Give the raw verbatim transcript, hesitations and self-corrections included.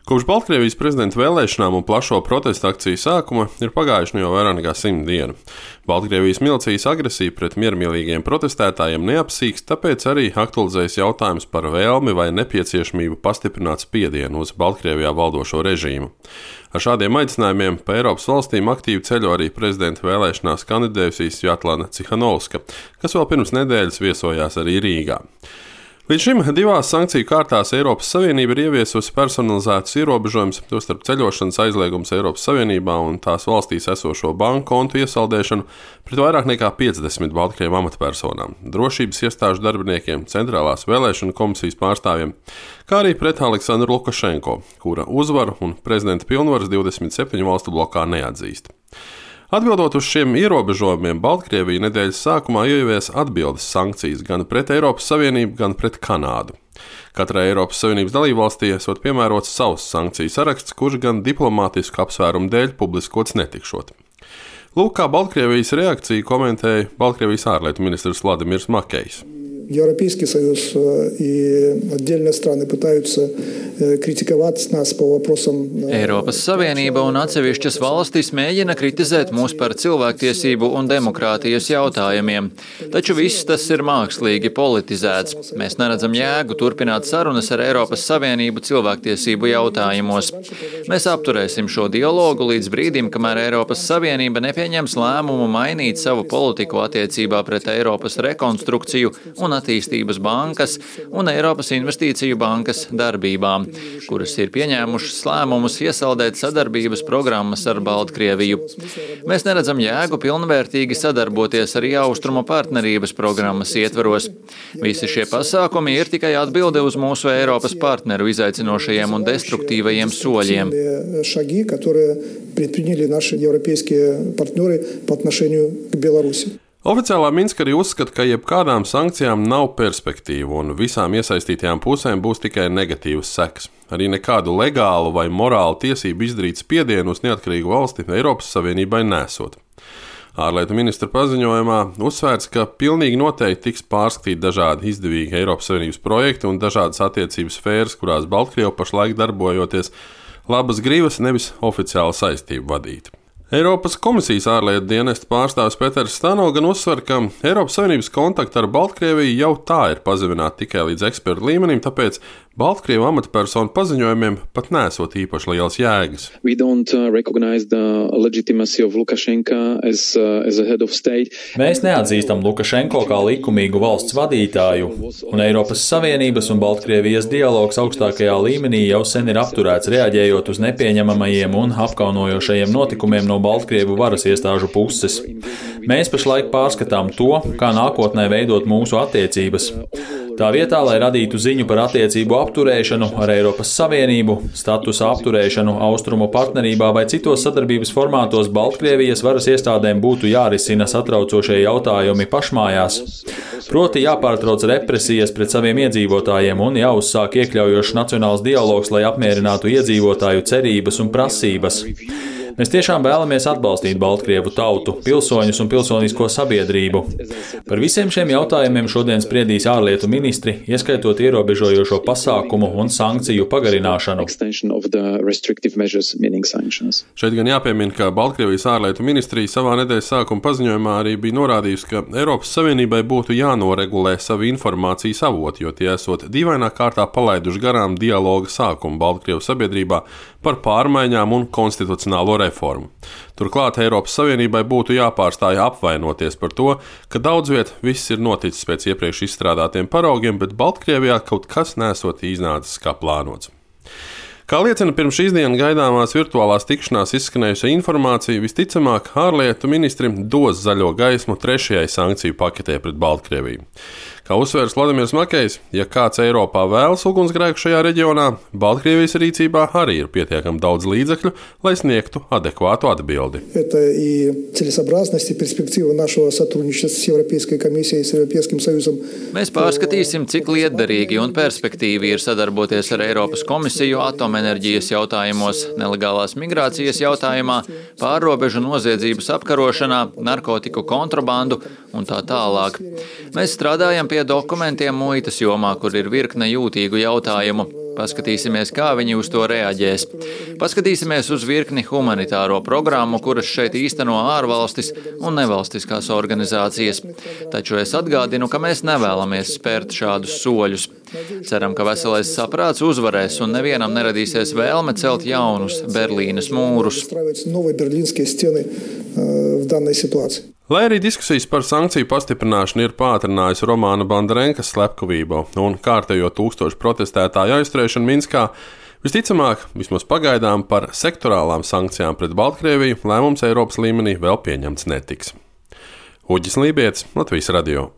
Kopš Baltkrievijas prezidenta vēlēšanām un plašo protestu akciju sākuma ir pagājuši nu jau vairāk nekā simt dienu. Baltkrievijas milicijas agresija pret miermīlīgiem protestētājiem neapsīkst, tāpēc arī aktualizējas jautājums par vēlmi vai nepieciešamību pastiprināt spiedienu uz Baltkrievijā valdošo režīmu. Ar šādiem aicinājumiem pa Eiropas valstīm aktīvi ceļo arī prezidenta vēlēšanās kandidējusī Svjatlana Cihanovska, kas vēl pirms nedēļas viesojās arī Rīgā. Līdz šim divās sankciju kārtās Eiropas Savienība ir ieviesusi personalizētus ierobežojumus, tostarp ceļošanas aizliegums Eiropas Savienībā un tās valstīs esošo banku kontu iesaldēšanu pret vairāk nekā piecdesmit Baltkrievu amatpersonām, drošības iestāžu darbiniekiem, centrālās vēlēšanu komisijas pārstāvjiem, kā arī pret Aleksandru Lukašenko, kura uzvaru un prezidenta pilnvaras divdesmit septiņu valstu blokā neatzīst. Atbildot uz šiem ierobežojumiem, Baltkrievija nedēļas sākumā ievies atbildes sankcijas gan pret Eiropas Savienību, gan pret Kanādu. Katrai Eiropas Savienības dalībvalstī esot piemērots savs sankciju saraksts, kurš gan diplomātisku apsvērumu dēļ publiskots netikšot. Lūk, kā Baltkrievijas reakciju komentēja Baltkrievijas ārlietu ministrs Vladimirs Makejs. Европейский Союз и отдельные страны пытаются критиковать нас по вопросам. Eiropas Savienība un atsevišķas valstis mēģina kritizēt mūs par cilvēktiesību un demokrātijas jautājumiem, taču viss tas ir mākslīgi politizēts. Mēs neredzam jēgu turpināt sarunas ar Eiropas Savienību cilvēktiesību jautājumos. Mēs apturēsim šo dialogu līdz brīdim, kamēr Eiropas Savienība nepieņems lēmumu mainīt savu politiku attiecībā pret Eiropas rekonstrukciju un attīstības bankas un Eiropas investīciju bankas darbībām, kuras ir pieņēmušas lēmumus iesaldēt sadarbības programmas ar Baltkrieviju. Mēs neredzam jēgu pilnvērtīgi sadarboties arī Austrumu partnerības programmas ietvaros. Visi šie pasākumi ir tikai atbilde uz mūsu Eiropas partneru izaicinošajiem un destruktīvajiem soļiem. Шаги, которые предприняли наши европейские партнеры по отношению к Беларуси. Oficiālā Minska arī uzskata, ka jebkādām sankcijām nav perspektīvu un visām iesaistītajām pusēm būs tikai negatīvas sekas. Arī nekādu legālu vai morālu tiesību izdarīt spiedienu uz neatkarīgu valsti Eiropas Savienībai nesot. Ārlietu ministra paziņojumā uzsvērts, ka pilnīgi noteikti tiks pārskatīt dažādi izdevīgi Eiropas Savienības projekti un dažādas attiecības sfēras, kurās Baltkrievu pašlaik darbojoties labas gribas, nevis oficiāla saistību vadīt. Eiropas komisijas ārlietu dienesta pārstāvis Peters Stano gan uzsver, ka Eiropas Savienības kontakti ar Baltkrieviju jau tā ir pazemināti tikai līdz ekspertu līmenim, tāpēc Baltkrievu amatpersonu paziņojumiem pat nesot īpaši liels jēgas. Mēs neatzīstam Lukašenko kā likumīgu valsts vadītāju, un Eiropas Savienības un Baltkrievijas dialogs augstākajā līmenī jau sen ir apturēts, reaģējot uz nepieņemamajiem un apkaunojošajiem notikumiem no Baltkrievu varas iestāžu puses. Mēs pašlaik pārskatām to, kā nākotnē veidot mūsu attiecības. Tā vietā, lai radītu ziņu par attiecību apturēšanu ar Eiropas Savienību, statusa apturēšanu Austrumu partnerībā vai citos sadarbības formātos, Baltkrievijas varas iestādēm būtu jārisina satraucošie jautājumi pašmājās. Proti jāpārtrauc represijas pret saviem iedzīvotājiem un jāuzsāk iekļaujošs nacionāls dialogs, lai apmierinātu iedzīvotāju cerības un prasības. Mēs tiešām vēlamies atbalstīt Baltkrievu tautu, pilsoņus un pilsonisko sabiedrību. Par visiem šiem jautājumiem šodien spriedīs ārlietu ministri, ieskaitot ierobežojošo pasākumu un sankciju pagarināšanu. Šeit gan jāpiemina, ka Baltkrievijas ārlietu ministrija savā nedēļas sākuma paziņojumā arī bija norādījusi, ka Eiropas Savienībai būtu jānoregulē savu informācijas avotu, jo tie esot dīvainā kārtā palaiduši garām dialoga sākumu Baltkrievu sabiedrībā par pārmaiņām un konstitucionālo reformu. Turklāt Eiropas Savienībai būtu jāpārstāj apvainoties par to, ka daudz viet viss ir noticis pēc iepriekš izstrādātiem paraugiem, bet Baltkrievijā kaut kas nesot iznācis kā plānots. Kā liecina pirms šīs dienas gaidāmās virtuālās tikšanās izskanējusi informācija, visticamāk ārlietu ministrim dos zaļo gaismu trešajai sankciju paketē pret Baltkrieviju. Kā uzsvērs Vladimirs Makejs, ja kāds Eiropā vēlas ugunsgrēku šajā reģionā, Baltkrievijas rīcībā arī ir pietiekami daudz līdzekļu, lai sniegtu adekvātu atbildi. Mēs pārskatīsim, cik lietderīgi un perspektīvi ir sadarboties ar Eiropas komisiju atomenerģijas jautājumos, nelegālās migrācijas jautājumā, pārrobežu noziedzības apkarošanā, narkotiku kontrabandu un tā tālāk. Mēs strādājam pie dokumentiem muitas jomā, kur ir virkne jūtīgu jautājumu. Paskatīsimies, kā viņi uz to reaģēs. Paskatīsimies uz virkni humanitāro programmu, kuras šeit īsteno ārvalstis un nevalstiskās organizācijas. Taču es atgādinu, ka mēs nevēlamies spērt šādus soļus. Ceram, ka veselais saprāts uzvarēs un nevienam neradīsies vēlme celt jaunus Berlīnes mūrus. Lai arī diskusijas par sankciju pastiprināšanu ir pātrinājusi Romāna Bondarenkas slepkavību un kārtējo tūkstošu protestētāju aizturēšanu Minskā, visticamāk, vismaz pagaidām par sektorālām sankcijām pret Baltkrieviju lēmums Eiropas līmenī vēl pieņemts netiks. Uģis Lībietis, Latvijas radio.